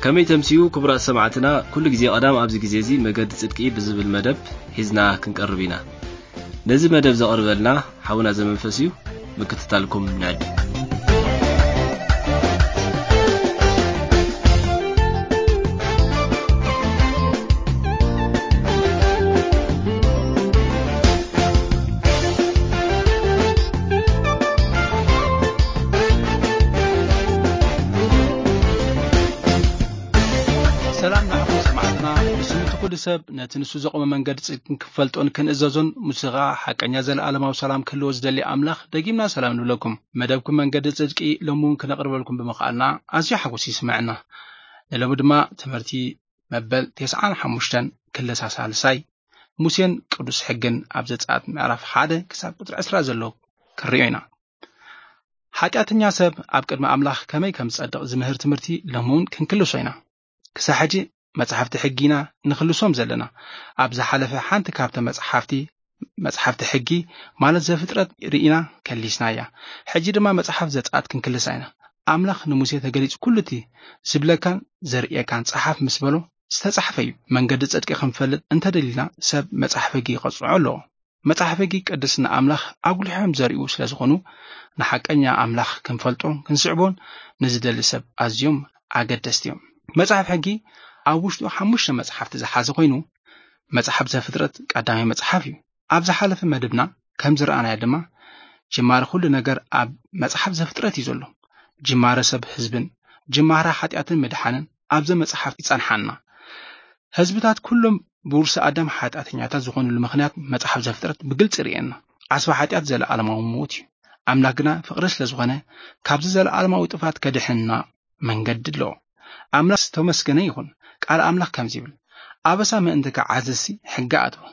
ከመይ ተምስዩ ክቡራት ሰማዕትና? ኩሉ ግዜ ቀዳም ኣብዚ ግዜ እዚ መገዲ ጽድቂ ብዝብል መደብ ሒዝና ክንቀርብ ኢና። ነዚ መደብ ዘቕርበልና ሓውና ዘመንፈስ እዩ። ምክትታልኩም ንዕድም። ሰላም ንዓኹም ሰማዕትና። ንስምቲ ኩሉ ሰብ ነቲ ንሱ ዘቆመ መንገዲ ጽድቅን ክፈልጦን ክንእዘዞን፣ ሙሴ ኸኣ ሓቀኛ ዘለኣለማዊ ሰላም ክህልዎ ዝደሊ ኣምላኽ፣ ደጊምና ሰላም ንብለኩም። መደብኩም መንገዲ ጽድቂ ሎሚ እውን ክነቕርበልኩም ብምኽኣልና ኣዝዩ ሓጎስ ይስምዐና። ንሎሚ ድማ ትምህርቲ መበል ተስዓን ሓሙሽተን ክልተ ሳልሳይ፣ ሙሴን ቅዱስ ሕግን ኣብ ዘጸኣት ምዕራፍ ሓደ ክሳብ ቁጽሪ ዕስራ ዘሎ ክንሪኦ ኢና። ሓጢኣተኛ ሰብ ኣብ ቅድሚ ኣምላኽ ከመይ ከም ዝጸድቕ ዝምህር ትምህርቲ ሎሚ እውን ክንክልሶ ኢና። ክሳብ ሕጂ መጽሓፍቲ ሕጊ ኢና ንኽልሶም ዘለና። ኣብ ዝሓለፈ ሓንቲ ካብተ መጽሓፍቲ፣ መጽሓፍቲ ሕጊ ማለት ዘፍጥረት ርኢና ከሊስናያ። ሕጂ ድማ መጽሓፍ ዘጸኣት ክንክልሳ ኢና። ኣምላኽ ንሙሴ ተገሊጹ፣ "ኩሉ እቲ ዝብለካን ዘርእየካን ጸሓፍ" ምስ በሎ ዝተጻሕፈ እዩ። መንገዲ ጽድቂ ክንፈልጥ እንተደሊና ሰብ መጽሓፍ ሕጊ ክጽንዖ ኣለዎ። መጽሓፍ ሕጊ ቅድስና ኣምላኽ ኣጉሊሖም ዘርእዩ ስለ ዝኾኑ፣ ንሓቀኛ ኣምላኽ ክንፈልጦን ክንስዕቦን ንዝደሊ ሰብ ኣዝዮም ኣገደስቲ እዮም። መጽሓፍ ሕጊ ኣብ ውሽጡ ሓሙሽተ መጽሓፍቲ ዝሓዘ ኮይኑ፣ መጽሓፍ ዘፍጥረት ቀዳማይ መጽሓፍ እዩ። ኣብ ዝሓለፈ መደብና ከም ዝረኣናዮ ድማ፣ ጅማረ ኩሉ ነገር ኣብ መጽሓፍ ዘፍጥረት እዩ ዘሎ። ጅማረ ሰብ ህዝብን ጅማረ ሓጢኣትን ምድሓንን ኣብዚ መጽሓፍ ይጸንሓና። ህዝብታት ኩሎም ብውርሲ ኣዳም ሓጢኣተኛታት ዝኾኑሉ ምኽንያት መጽሓፍ ዘፍጥረት ብግልጺ ርእየና። ዓስቢ ሓጢኣት ዘለኣለማዊ ሞት እዩ። ኣምላኽ ግና ፍቕሪ ስለ ዝኾነ፣ ካብዚ ዘለኣለማዊ ጥፋት ከድሕንና መንገዲ ኣለዎ። ኣምላኽ ዝተመስገነ ይኹን። ቃል ኣምላኽ ከምዚ ይብል፣ "ኣበሳ ምእንቲ ክዓዝዝሲ ሕጊ ኣእተወ፣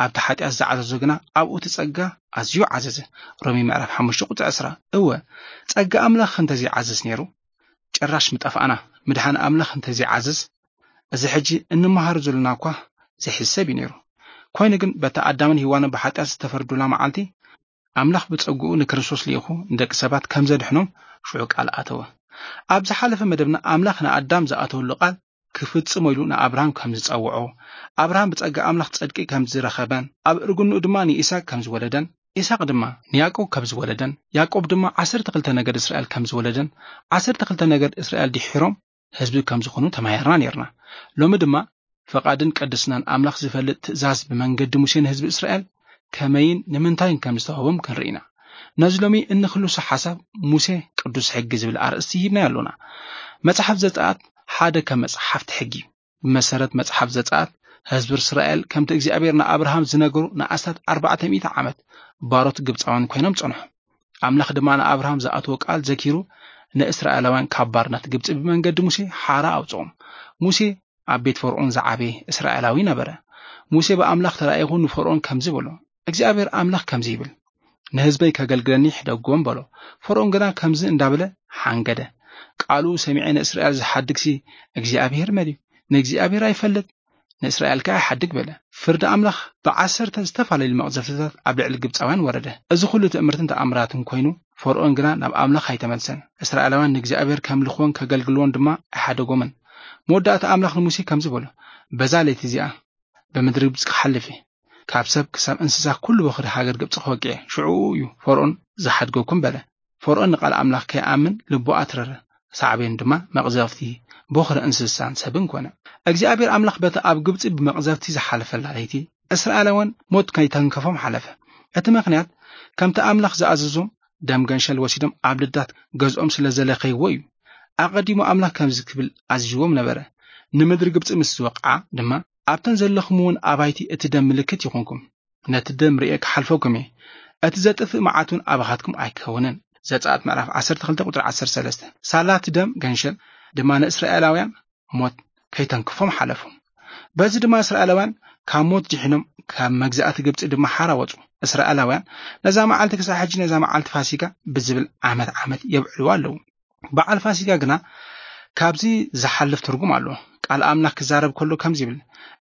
ኣብቲ ሓጢኣት ዝዓዘዞ ግና ኣብኡ እቲ ጸጋ ኣዝዩ ዓዘዘ።" ሮሜ ምዕራፍ ሓሙሽተ ቁጽሪ ዕስራ። እወ፣ ጸጋ ኣምላኽ እንተዘይዓዘዝ ነይሩ፣ ጭራሽ ምጠፋእና። ምድሓን ኣምላኽ እንተዘይዓዘዝ፣ እዚ ሕጂ እንመሃሮ ዘለና እኳ ዘይሕሰብ እዩ ነይሩ። ኮይኑ ግን፣ በታ ኣዳምን ሄዋንን ብሓጢኣት ዝተፈርዱላ መዓልቲ፣ ኣምላኽ ብጸግኡ ንክርስቶስ ልኢኹ ንደቂ ሰባት ከም ዘድሕኖም ሽዑ ቃል ኣተወ። ኣብ ዝሓለፈ መደብና፣ ኣምላኽ ንኣዳም ዝኣተወሉ ቃል ክፍጽሞ ኢሉ ንኣብርሃም ከም ዝጸውዖ፣ ኣብርሃም ብጸጋ ኣምላኽ ጸድቂ ከም ዝረኸበን፣ ኣብ እርግንኡ ድማ ንኢሳቅ ከም ዝወለደን፣ ኢሳቅ ድማ ንያዕቆብ ከም ዝወለደን፣ ያዕቆብ ድማ ዓሰርተ ክልተ ነገድ እስራኤል ከም ዝወለደን፣ ዓሰርተ ክልተ ነገድ እስራኤል ድሒሮም ህዝቢ ከም ዝኾኑ ተማሂርና ነይርና። ሎሚ ድማ ፍቓድን ቅድስናን ኣምላኽ ዝፈልጥ ትእዛዝ ብመንገዲ ሙሴ ንህዝቢ እስራኤል ከመይን ንምንታይን ከም ዝተዋህቦም ክንርኢ ኢና። ነዚ ሎሚ እንክልሶ ሓሳብ ሙሴ ቅዱስ ሕጊ ዝብል ኣርእስቲ ሂብናዮ ኣሎና። መጽሓፍ ዘጸኣት ሓደ ከም መጽሓፍቲ ሕጊ እዩ። ብመሰረት መጽሓፍ ዘጸኣት፣ ህዝቢ እስራኤል ከምቲ እግዚኣብሔር ንኣብርሃም ዝነገሩ ንኣስታት ኣርባዕተ ሚእቲ ዓመት ባሮት ግብጻውያን ኮይኖም ጸንሑ። ኣምላኽ ድማ ንኣብርሃም ዝኣተዎ ቃል ዘኪሩ፣ ንእስራኤላውያን ካብ ባርነት ግብጺ ብመንገዲ ሙሴ ሓራ ኣውጽኦም። ሙሴ ኣብ ቤት ፈርኦን ዝዓበየ እስራኤላዊ ነበረ። ሙሴ ብኣምላኽ ተራኢኹ ንፈርኦን ከምዚ በሎ፣ "እግዚኣብሔር ኣምላኽ ከምዚ ይብል፣ ንህዝበይ ከገልግለኒ ሕደግዎም" በሎ። ፈርኦን ግና ከምዚ እንዳበለ ሓንገደ። "ቃሉ ሰሚዐ ንእስራኤል ዝሓድግሲ እግዚኣብሔር መን እዩ? ንእግዚኣብሔር ኣይፈልጥ፣ ንእስራኤል ከኣ ኣይሓድግ" በለ። ፍርዲ ኣምላኽ ብዓሰርተ ዝተፈላለዩ መቕዘፍትታት ኣብ ልዕሊ ግብጻውያን ወረደ። እዚ ኩሉ ትእምርትን ተኣምራትን ኮይኑ፣ ፈርኦን ግና ናብ ኣምላኽ ኣይተመልሰን። እስራኤላውያን ንእግዚኣብሔር ከምልኽዎን ከገልግልዎን ድማ ኣይሓደጎምን። መወዳእታ ኣምላኽ ንሙሴ ከምዚ በሎ፣ "በዛ ለይቲ እዚኣ ብምድሪ ግብጺ ክሓልፍ እየ። ካብ ሰብ ክሳብ እንስሳ ኩሉ በኹሪ ሃገር ግብጺ ክወቅዕ እየ። ሽዑኡ እዩ ፈርኦን ዝሓድገኩም" በለ። ፈርኦን ንቓል ኣምላኽ ከይኣምን ልቡ ኣትረረ። ሳዕቤን ድማ መቕዘፍቲ፣ በኹሪ እንስሳን ሰብን ኮነ። እግዚኣብሔር ኣምላኽ በቲ ኣብ ግብጺ ብመቕዘፍቲ ዝሓለፈላ ለይቲ፣ እስራኤላውያን ሞት ከይተንከፎም ሓለፈ። እቲ ምኽንያት፣ ከምቲ ኣምላኽ ዝኣዘዞም፣ ደም ገንሸል ወሲዶም ኣብ ልዳት ገዝኦም ስለ ዘለኸይዎ እዩ። ኣቐዲሙ ኣምላኽ ከምዚ ክብል ኣዚዝዎም ነበረ፣ "ንምድሪ ግብጺ ምስ ዝወቕዓ ድማ፣ ኣብተን ዘለኹምውን ኣባይቲ እቲ ደም ምልክት ይኹንኩም። ነቲ ደም ርእየ ክሓልፈኩም እየ። እቲ ዘጥፍእ መዓት እውን ኣባኻትኩም ኣይክኸውንን።" ዘጸኣት ምዕራፍ ዓሰርተ ክልተ ቁጽሪ ዓሰርተ ሰለስተ። ሳላ እቲ ደም ገንሸል ድማ ንእስራኤላውያን ሞት ከይተንክፎም ሓለፉ። በዚ ድማ እስራኤላውያን ካብ ሞት ድሒኖም፣ ካብ መግዛእቲ ግብጺ ድማ ሓራ ወጹ። እስራኤላውያን ነዛ መዓልቲ ክሳብ ሕጂ ነዛ መዓልቲ ፋሲጋ ብዝብል ዓመት ዓመት የብዕልዋ ኣለዉ። በዓል ፋሲጋ ግና ካብዚ ዝሓልፍ ትርጉም ኣለዎ። ቃል ኣምላኽ ክዛረብ ከሎ ከምዚ ይብል፣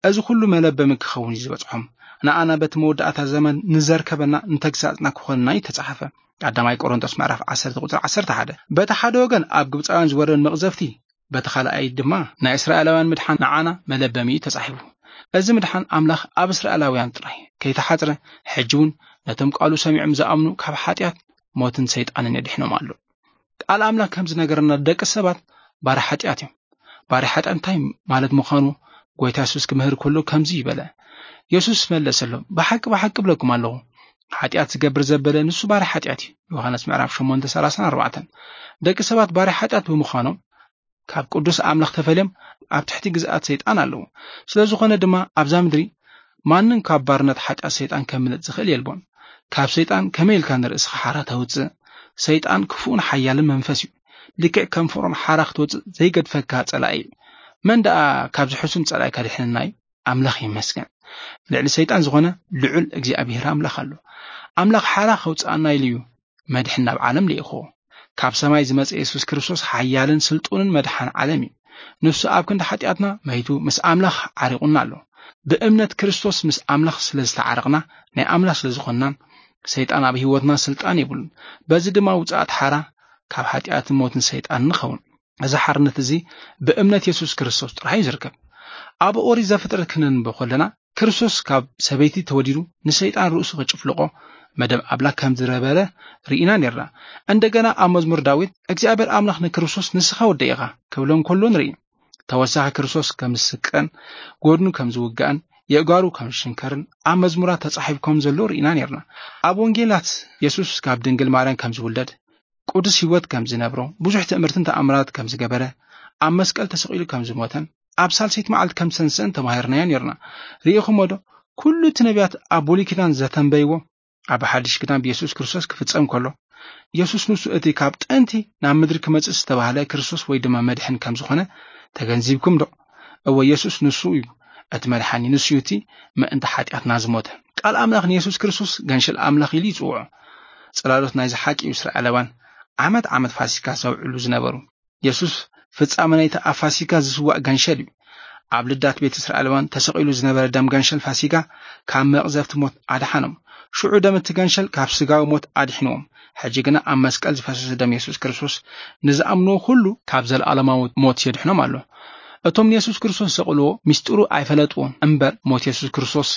"እዚ ኩሉ መለበሚ ክኸውን እዩ ዝበጽሖም። ንኣና በቲ መወዳእታ ዘመን ንዘርከበና ንተግሳጽና ክኾንና እዩ ተጻሕፈ።" ቀዳማይ ቆሮንቶስ ምዕራፍ ዓሰርተ ቁጽሪ ዓሰርተ ሓደ። በቲ ሓደ ወገን ኣብ ግብጻውያን ዝወረድ መቕዘፍቲ በቲ ካልኣይ ድማ ናይ እስራኤላውያን ምድሓን ንዓና መለበሚ እዩ ተጻሒፉ። እዚ ምድሓን ኣምላኽ ኣብ እስራኤላውያን ጥራይ ከይተሓጽረ፣ ሕጂ እውን ነቶም ቃሉ ሰሚዖም ዝኣምኑ ካብ ሓጢኣት፣ ሞትን ሰይጣንን የድሕኖም ኣሎ። ቃል ኣምላኽ ከም ዝነገረና፣ ደቂ ሰባት ባርያ ሓጢኣት እዮም። ባርያ ሓጢኣት እንታይ ማለት ምዃኑ ጎይታ የሱስ ክምህር ከሎ ከምዚ ይበለ። የሱስ መለሰሎም፣ ብሓቂ ብሓቂ እብለኩም ኣለኹ፣ ሓጢኣት ዝገብር ዘበለ ንሱ ባርያ ሓጢኣት እዩ። ዮሃንስ ምዕራፍ ሸሞንተ ሰላሳን ኣርባዕተን። ደቂ ሰባት ባርያ ሓጢኣት ብምዃኖም ካብ ቅዱስ ኣምላኽ ተፈልዮም ኣብ ትሕቲ ግዝኣት ሰይጣን ኣለዉ። ስለ ዝኾነ ድማ ኣብዛ ምድሪ ማንም ካብ ባርነት ሓጢኣት ሰይጣን ከምልጥ ዝኽእል የልቦን። ካብ ሰይጣን ከመይ ኢልካ ንርእስኻ ሓራ ተውጽእ? ሰይጣን ክፉእን ሓያልን መንፈስ እዩ። ልክዕ ከም ፍቕሮን ሓራ ክትወጽእ ዘይገድፈካ ጸላኢ እዩ። መን ደኣ ካብዚ ሕሱም ጸላኢ ከድሕነና እዩ? ኣምላኽ ይመስገን። ልዕሊ ሰይጣን ዝኾነ ልዑል እግዚኣብሔር ኣምላኽ ኣሎ። ኣምላኽ ሓራ ከውጽኣና ኢሉ እዩ መድሕን ናብ ዓለም ልኢኽዎ። ካብ ሰማይ ዝመጸ የሱስ ክርስቶስ ሓያልን ስልጡንን መድሓን ዓለም እዩ። ንሱ ኣብ ክንዲ ሓጢኣትና መይቱ ምስ ኣምላኽ ዓሪቑና ኣሎ። ብእምነት ክርስቶስ ምስ ኣምላኽ ስለ ዝተዓረቕና፣ ናይ ኣምላኽ ስለ ዝኾንናን፣ ሰይጣን ኣብ ህይወትና ስልጣን የብሉን። በዚ ድማ ውጽኣት ሓራ ካብ ሓጢኣትን ሞትን ሰይጣን ንኸውን። እዚ ሓርነት እዚ ብእምነት የሱስ ክርስቶስ ጥራይ እዩ ዝርከብ። ኣብ ኦሪት ዘፍጥረት ክነንብብ ከለና፣ ክርስቶስ ካብ ሰበይቲ ተወሊዱ ንሰይጣን ርእሱ ክጭፍልቆ መደብ ኣምላኽ ከም ዝነበረ ርኢና ነርና። እንደገና ኣብ መዝሙር ዳዊት፣ እግዚኣብሔር ኣምላኽ ንክርስቶስ ንስኻ ወደይ ኢኻ ክብሎ እንከሎ ንርኢ። ተወሳኺ ክርስቶስ ከም ዝስቀን፣ ጎድኑ ከም ዝውጋእን፣ የእጋሩ ከም ዝሽንከርን ኣብ መዝሙራት ተጻሒፉ ከም ዘሎ ርኢና ነርና። ኣብ ወንጌላት የሱስ ካብ ድንግል ማርያም ከም ዝውለድ፣ ቅዱስ ህይወት ከም ዝነብሮ፣ ብዙሕ ትእምርትን ተኣምራት ከም ዝገበረ፣ ኣብ መስቀል ተሰቒሉ ከም ዝሞተን፣ ኣብ ሳልሰይቲ መዓልቲ ከም ዝተንስአን ተማሂርናዮ ነርና። ርኢኹሞ ዶ? ኩሉ እቲ ነቢያት ኣብ ብሉይ ኪዳን ዘተንበይዎ ኣብ ሓድሽ ኪዳን ብየሱስ ክርስቶስ ክፍጸም ከሎ፣ የሱስ ንሱ እቲ ካብ ጥንቲ ናብ ምድሪ ክመጽእ ዝተባህለ ክርስቶስ ወይ ድማ መድሕን ከም ዝኾነ ተገንዚብኩም ዶ? እወ፣ የሱስ ንሱ እዩ እቲ መድሓኒ፣ ንሱ እዩ እቲ ምእንቲ ሓጢኣትና ዝሞተ። ቃል ኣምላኽ ንየሱስ ክርስቶስ ገንሸል ኣምላኽ ኢሉ ይጽውዖ። ጽላሎት ናይዚ ሓቂ እዩ። እስራኤላውያን ዓመት ዓመት ፋሲካ ዘውዕሉ ዝነበሩ። የሱስ ፍጻመ ናይቲ ኣብ ፋሲካ ዝስዋእ ገንሸል እዩ። ኣብ ልዳት ቤት እስራኤላውያን ተሰቒሉ ዝነበረ ደም ገንሸል ፋሲካ ካብ መቕዘፍቲ ሞት ኣድሓኖም። ሽዑ ደም እቲ ገንሸል ካብ ስጋዊ ሞት ኣድሒንዎም። ሕጂ ግና ኣብ መስቀል ዝፈሰሰ ደም የሱስ ክርስቶስ ንዝኣምንዎ ኩሉ ካብ ዘለኣለማዊ ሞት የድሕኖም ኣሎ። እቶም ንየሱስ ክርስቶስ ዘሰቕልዎ ምስጢሩ ኣይፈለጥዎን እምበር፣ ሞት የሱስ ክርስቶስ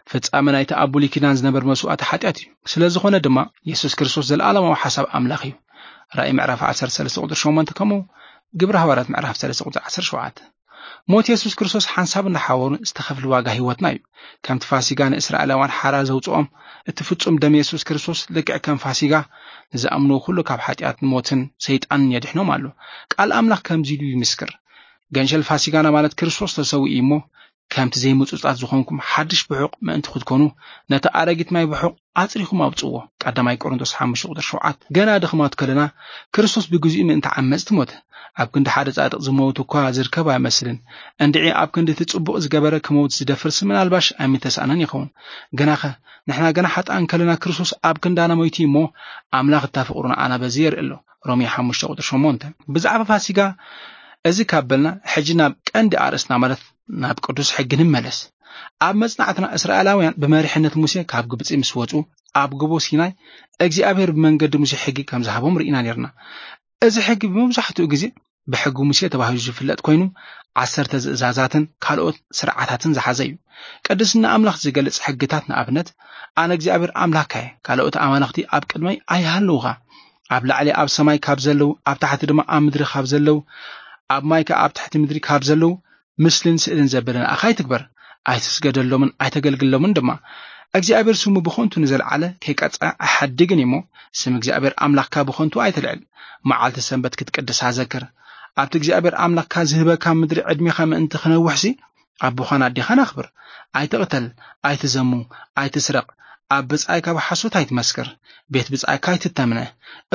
ፍጻመ ናይቲ ኣብ ብሉይ ኪዳን ዝነበር መስዋእቲ ሓጢኣት እዩ። ስለ ዝኾነ ድማ የሱስ ክርስቶስ ዘለኣለማዊ ሓሳብ ኣምላኽ እዩ። ራእይ ምዕራፍ ዓሰርተ ሰለስተ ቁጽሪ ሸሞንተ፣ ከምኡ ግብረ ሃዋርያት ምዕራፍ ሰለስተ ቁጽሪ ዓሰርተ ሸውዓተ። ሞት የሱስ ክርስቶስ ሓንሳብ እንዳሓወሩ ዝተኸፍለ ዋጋ ህይወትና እዩ። ከምቲ ፋሲጋ ንእስራኤላውያን ሓራ ዘውጽኦም፣ እቲ ፍጹም ደም የሱስ ክርስቶስ ልክዕ ከም ፋሲጋ ንዝኣምንዎ ኩሉ ካብ ሓጢኣት ሞትን ሰይጣንን የድሕኖም ኣሎ። ቃል ኣምላኽ ከምዚ ኢሉ ይምስክር፣ ገንሸል ፋሲጋና ማለት ክርስቶስ ተሰዊኡ እዩ እሞ፣ ከምቲ ዘይምጹጻት ዝኾንኩም ሓድሽ ብሑቕ ምእንቲ ክትኮኑ፣ ነቲ ኣረጊት ማይ ብሑቕ ኣጽሪኹም ኣውጽዎ። ቀዳማይ ቆሮንቶስ ሓሙሽተ ቁጽሪ ሸውዓተ። ገና ድኽማት ከለና ክርስቶስ ብግዚኡ ምእንቲ ዓመጽቲ ሞተ። ኣብ ክንዲ ሓደ ጻድቕ ዝመውት እኳ ዝርከብ ኣይመስልን። እንድዒ ኣብ ክንዲ እቲ ጽቡቕ ዝገበረ ክመውት ዝደፍርሲ ምናልባሽ ኣይምተሳእነን ይኸውን። ግናኸ ንሕና ገና ሓጥኣን ከለና ክርስቶስ ኣብ ክንዳና ሞይቱ እሞ፣ ኣምላኽ እታ ፍቕሩ ንኣና በዚ የርኢ ኣሎ። ሮሜ ሓሙሽተ ቁጽሪ ሸሞንተ። ብዛዕባ ፋሲጋ እዚ ካብ በልና፣ ሕጂ ናብ ቀንዲ ኣርእስትና ማለት ናብ ቅዱስ ሕጊ ንመለስ። ኣብ መጽናዕትና እስራኤላውያን ብመሪሕነት ሙሴ ካብ ግብጺ ምስ ወጹ፣ ኣብ ጎቦ ሲናይ እግዚኣብሔር ብመንገዲ ሙሴ ሕጊ ከም ዝሃቦም ርኢና ነርና። እዚ ሕጊ ብመብዛሕትኡ ግዜ ብሕጊ ሙሴ ተባሂሉ ዝፍለጥ ኮይኑ፣ ዓሰርተ ትእዛዛትን ካልኦት ስርዓታትን ዝሓዘ እዩ። ቅድስና ኣምላኽ ዝገልጽ ሕግታት፣ ንኣብነት፣ ኣነ እግዚኣብሔር ኣምላኽካ እየ፣ ካልኦት ኣማልኽቲ ኣብ ቅድመይ ኣይሃልውኻ፣ ኣብ ላዕሊ ኣብ ሰማይ ካብ ዘለዉ፣ ኣብ ታሕቲ ድማ ኣብ ምድሪ ካብ ዘለዉ፣ ኣብ ማይ ከኣ ኣብ ትሕቲ ምድሪ ካብ ዘለዉ፣ ምስልን ስእልን ዘበለ ንኣኻ ኣይትግበር፣ ኣይትስገደሎምን ኣይተገልግሎምን ድማ። እግዚኣብሔር ስሙ ብኸንቱ ንዘለዓለ ከይቀጽዐ ኣይሓድግን እሞ፣ ስም እግዚኣብሔር ኣምላኽካ ብኸንቱ ኣይትልዕል። መዓልቲ ሰንበት ክትቅድሳ ዘክር። ኣብቲ እግዚኣብሔር ኣምላኽካ ዝህበካ ምድሪ ዕድሜኻ ምእንቲ ክነውሕሲ፣ ኣቦኻን ኣዴኻን ኣኽብር። ኣይትቕተል፣ ኣይትዘሙ፣ ኣይትስረቕ፣ ኣብ ብጻይካ ብሓሶት ኣይትመስክር፣ ቤት ብጻይካ ኣይትተምነ።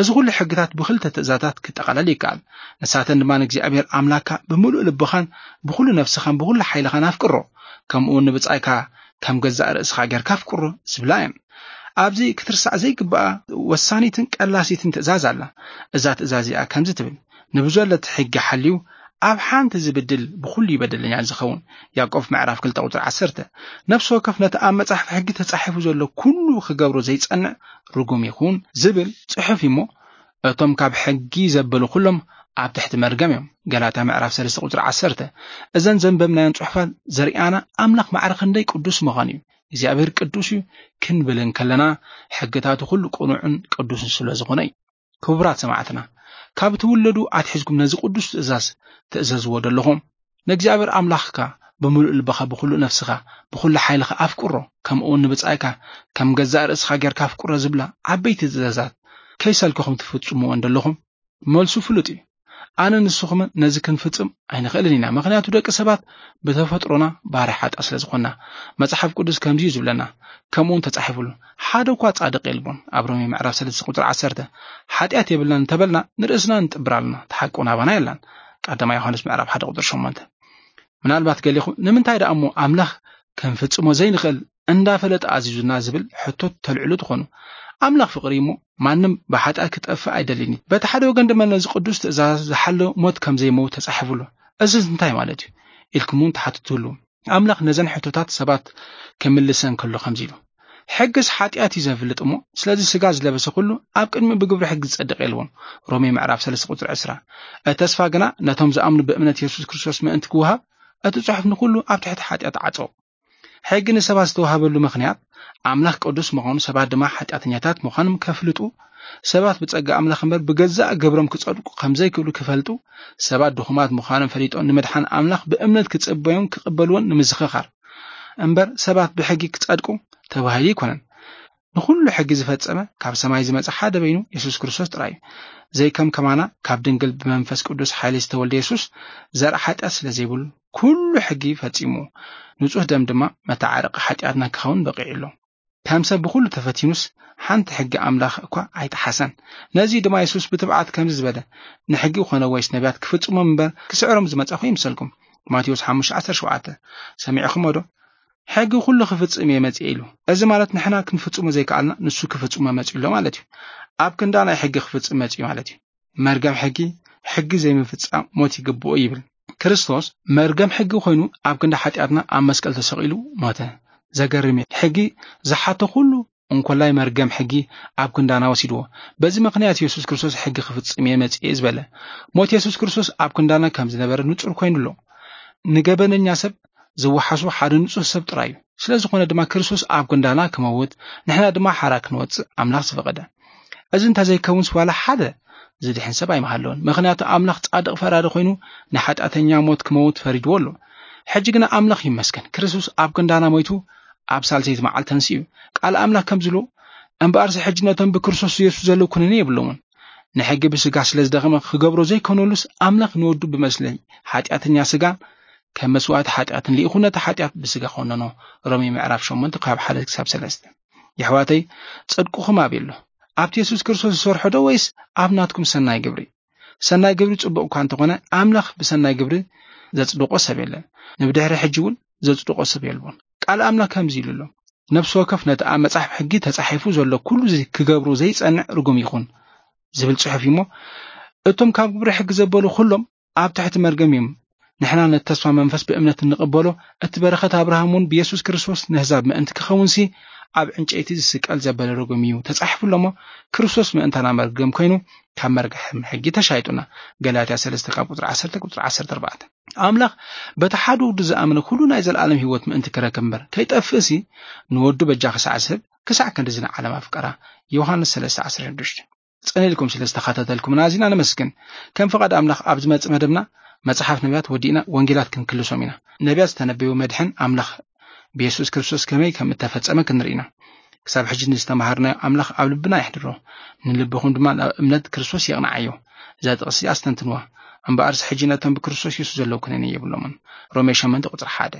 እዚ ኩሉ ሕግታት ብኽልተ ትእዛዛት ክጠቓለል ይከኣል። ንሳተን ድማ ንእግዚኣብሔር ኣምላኽካ ብምሉእ ልብኻን ብኹሉ ነፍስኻን ብኹሉ ሓይልኻን ኣፍቅሮ፣ ከምኡ እውን ንብጻይካ ከም ገዛእ ርእስኻ ጌርካ ኣፍቅሮ ዝብላ እየን። ኣብዚ ክትርሳዕ ዘይግብኣ ወሳኒትን ቀላሲትን ትእዛዝ ኣላ። እዛ ትእዛዝ እዚኣ ከምዚ ትብል፣ ንብዘሎ እቲ ሕጊ ሓልዩ ኣብ ሓንቲ ዝብድል ብኹሉ እዩ በደለኛ ዝኸውን። ያዕቆብ ምዕራፍ ክልተ ቁጽሪ ዓሰርተ። ነፍሲ ወከፍ ነቲ ኣብ መጽሓፍ ሕጊ ተጻሒፉ ዘሎ ኩሉ ክገብሮ ዘይጸንዕ ርጉም ይኹን ዝብል ጽሑፍ እዩ እሞ፣ እቶም ካብ ሕጊ ዘበሉ ኩሎም ኣብ ትሕቲ መርገም እዮም። ገላትያ ምዕራፍ ሰለስተ ቁፅሪ ዓሰርተ። እዘን ዘንበብናዮን ፅሑፋት ዘርእያና ኣምላኽ ማዕረ ክንደይ ቅዱስ ምዃኑ እዩ። እግዚኣብሔር ቅዱስ እዩ ክንብል እንከለና ሕግታቱ ኩሉ ቅኑዕን ቅዱስን ስለ ዝኾነ እዩ። ክቡራት ሰማዕትና፣ ካብ ትውለዱ ኣትሒዝኩም ነዚ ቅዱስ ትእዛዝ ትእዘዝዎ ደለኹም። ንእግዚኣብሔር ኣምላኽካ ብምሉእ ልብኻ፣ ብኹሉ ነፍስኻ፣ ብኹሉ ሓይልኻ ኣፍቅሮ፣ ከምኡ እውን ንብጻይካ ከም ገዛእ ርእስኻ ጌርካ ኣፍቅሮ ዝብላ ዓበይቲ ትእዛዛት ከይሰልከኹም ትፍጽምወን ደለኹም? መልሱ ፍሉጥ እዩ። ኣነ ንስኹምን ነዚ ክንፍጽም ኣይንኽእልን ኢና። ምኽንያቱ ደቂ ሰባት ብተፈጥሮና ባርያ ሓጣ ስለ ዝኾንና። መጽሓፍ ቅዱስ ከምዚ እዩ ዝብለና፣ ከምኡ እውን ተጻሒፉሉ፣ "ሓደ እኳ ጻድቕ የልቦን" ኣብ ሮሜ ምዕራፍ ሰለስተ ቁጽሪ ዓሰርተ። ሓጢኣት የብልናን እንተበልና ንርእስና ንጥብር ኣለና፣ እቲ ሓቂ እውን ኣባና የላን። ቀዳማይ ዮሃንስ ምዕራፍ ሓደ ቁጽሪ ሸሞንተ። ምናልባት ገሊኹም "ንምንታይ ደኣ እሞ ኣምላኽ ክንፍጽሞ ዘይንኽእል እንዳፈለጠ ኣዚዙና?" ዝብል ሕቶ ተልዕሉ ትኾኑ። ኣምላኽ ፍቕሪ እሞ ማንም ብሓጢኣት ክጠፍእ ኣይደልን እዩ። በቲ ሓደ ወገን ድማ ነዚ ቅዱስ ትእዛዝ ዝሓሎ ሞት ከም ዘይመውት ተጻሒፉሉ። "እዝስ እንታይ ማለት እዩ?" ኢልኩም እውን ትሓትቱ ኣለዉ። ኣምላኽ ነዘን ሕቶታት ሰባት ክምልሰን ከሎ ከምዚ ኢሉ፣ "ሕግስ ሓጢኣት እዩ ዘፍልጥ እሞ፣ ስለዚ ስጋ ዝለበሰ ኩሉ ኣብ ቅድሚ ብግብሪ ሕጊ ዝጸድቕ የልቦን።" ሮሜ ምዕራፍ ሰለስተ ቁጽሪ ዕስራ። እቲ ተስፋ ግና ነቶም ዝኣምኑ ብእምነት የሱስ ክርስቶስ ምእንቲ ክወሃብ፣ እቲ ጽሑፍ ንኹሉ ኣብ ትሕቲ ሓጢኣት ዓጸው። ሕጊ ንሰባት ዝተዋሃበሉ ምኽንያት ኣምላኽ ቅዱስ ምዃኑ፣ ሰባት ድማ ሓጢኣተኛታት ምዃኖም ከፍልጡ፣ ሰባት ብጸጋ ኣምላኽ እምበር ብገዛእ ግብሮም ክጸድቁ ከም ዘይክእሉ ክፈልጡ፣ ሰባት ድኹማት ምዃኖም ፈሊጦም ንምድሓን ኣምላኽ ብእምነት ክጽበዮም ክቕበልዎን ንምዝኽኻር እምበር ሰባት ብሕጊ ክጸድቁ ተባሂሉ ኣይኮነን። ንኹሉ ሕጊ ዝፈጸመ ካብ ሰማይ ዝመጸ ሓደ በይኑ የሱስ ክርስቶስ ጥራይ እዩ። ዘይከም ከማና ካብ ድንግል ብመንፈስ ቅዱስ ሓይሊ ዝተወልደ የሱስ ዘርኢ ሓጢኣት ስለ ዘይብሉ ኩሉ ሕጊ ፈጺሙ ንጹህ ደም ድማ መተዓረቂ ሓጢኣትና ክኸውን በቂዑ ኣሎ። ከም ሰብ ብኹሉ ተፈቲኑስ ሓንቲ ሕጊ ኣምላኽ እኳ ኣይጠሓሰን። ነዚ ድማ የሱስ ብትብዓት ከምዚ ዝበለ፣ "ንሕጊ ኮነ ወይስ ነቢያት ክፍጽሞም እምበር ክስዕሮም ዝመጻኹ ይምሰልኩም?" ማቴዎስ ሓሙሽተ ዓሰርተ ሸውዓተ። ሰሚዕኹሞ ዶ? "ሕጊ ኩሉ ክፍጽም እየ መጺኤ" ኢሉ። እዚ ማለት ንሕና ክንፍጽሞ ዘይከኣልና ንሱ ክፍጽሞ መጺኡ ኣሎ ማለት እዩ። ኣብ ክንዳ ናይ ሕጊ ክፍጽም መጺኡ ማለት እዩ። መርገም ሕጊ፣ ሕጊ ዘይምፍጻም ሞት ይግብኦ ይብል። ክርስቶስ መርገም ሕጊ ኮይኑ ኣብ ክንዲ ሓጢኣትና ኣብ መስቀል ተሰቒሉ ሞተ። ዘገርም እዩ። ሕጊ ዝሓቶ ኩሉ እንኮላይ መርገም ሕጊ ኣብ ክንዳና ወሲድዎ። በዚ ምኽንያት የሱስ ክርስቶስ ሕጊ ክፍጽም እየ መጺኤ ዝበለ። ሞት የሱስ ክርስቶስ ኣብ ክንዳና ከም ዝነበረ ንጹር ኮይኑ ኣሎ። ንገበነኛ ሰብ ዝወሓሶ ሓደ ንጹህ ሰብ ጥራይ እዩ። ስለ ዝኾነ ድማ ክርስቶስ ኣብ ክንዳና ክመውት፣ ንሕና ድማ ሓራ ክንወጽእ ኣምላኽ ዝፈቐደ። እዚ እንተዘይከውንስ ዋላ ሓደ ዝድሕን ሰብ ኣይምሃለውን። ምኽንያቱ ኣምላኽ ጻድቕ ፈራዲ ኮይኑ ንሓጢኣተኛ ሞት ክመውት ፈሪድዎ ኣሎ። ሕጂ ግና ኣምላኽ ይመስገን፣ ክርስቶስ ኣብ ክንዳና ሞይቱ ኣብ ሳልሰይቲ መዓልቲ ተንሲኡ። ቃል ኣምላኽ ከም ዝብሎ፣ "እምበኣርሲ ሕጂ ነቶም ብክርስቶስ የሱስ ዘለዉ ኩነኔ የብሎምን። ንሕጊ ብስጋ ስለ ዝደኸመ ክገብሮ ዘይኮነሉስ ኣምላኽ ንወዱ ብመስለ ሓጢኣተኛ ስጋ ከም መስዋእቲ ሓጢኣትን ልኢኹ ነቲ ሓጢኣት ብስጋ ኮነኖ።" ሮሜ ምዕራፍ ሸሞንተ ካብ ሓደ ክሳብ ሰለስተ። የሕዋተይ፣ ጽድቅኹም ኣበይ ኣሎ? ኣብቲ የሱስ ክርስቶስ ዝሰርሖ ዶ ወይስ ኣብ ናትኩም ሰናይ ግብሪ? ሰናይ ግብሪ ጽቡቕ እኳ እንተኾነ ኣምላኽ ብሰናይ ግብሪ ዘጽድቆ ሰብ የለን። ንብድሕሪ ሕጂ እውን ዘጽድቆ ሰብ የልቦን። ቃል ኣምላኽ ከምዚ ኢሉ ኣሎ፣ "ነፍሲ ወከፍ ነቲ ኣብ መጽሓፍ ሕጊ ተጻሒፉ ዘሎ ኩሉ ክገብሮ ዘይጸንዕ ርጉም ይኹን" ዝብል ጽሑፍ እዩ እሞ፣ እቶም ካብ ግብሪ ሕጊ ዘበሉ ኩሎም ኣብ ትሕቲ መርገም እዮም። ንሕና ነቲ ተስፋ መንፈስ ብእምነት እንቕበሎ፣ እቲ በረኸት ኣብርሃም እውን ብየሱስ ክርስቶስ ንህዛብ ምእንቲ ክኸውንሲ ኣብ ዕንጨይቲ ዝስቀል ዘበለ ርጉም እዩ ተጻሒፉ ኣሎ እሞ፣ ክርስቶስ ምእንታና መርገም ኮይኑ ካብ መርገም ሕጊ ተሻይጡና። ገላትያ ሰለስተ ካብ ቁጽሪ ዓሰርተ ቁጽሪ ዓሰርተ ኣርባዕተ። ኣምላኽ በቲ ሓደ ወዱ ዝኣመነ ኩሉ ናይ ዘለኣለም ህይወት ምእንቲ ክረክብ እምበር ከይጠፍእሲ ንወዱ በጃ ክሳዕ ዝህብ ክሳዕ ክንድዚ ንዓለም ኣፍቀራ። ዮሃንስ ሰለስተ ዓሰርተ ሽዱሽተ። ጽን ኢልኩም ስለ ዝተኸታተልኩምና ኣዚና ነመስግን። ከም ፍቓድ ኣምላኽ ኣብ ዝመጽእ መደብና መጽሓፍ ነቢያት ወዲእና ወንጌላት ክንክልሶም ኢና። ነቢያት ዝተነበዩ መድሕን ኣምላኽ ብየሱስ ክርስቶስ ከመይ ከም እተፈጸመ ክንርኢ ኢና። ክሳብ ሕጂ ንዝተማሃርናዮ ኣምላኽ ኣብ ልብና የሕድሮ፣ ንልብኹም ድማ ናብ እምነት ክርስቶስ የቕንዓዮ። እዛ ጥቕሲ ኣስተንትንዋ። እምበኣርሲ ሕጂ ነቶም ብክርስቶስ የሱስ ዘለዉ ኩነኔ የብሎምን። ሮሜ ሸሞንተ ቁጽሪ ሓደ።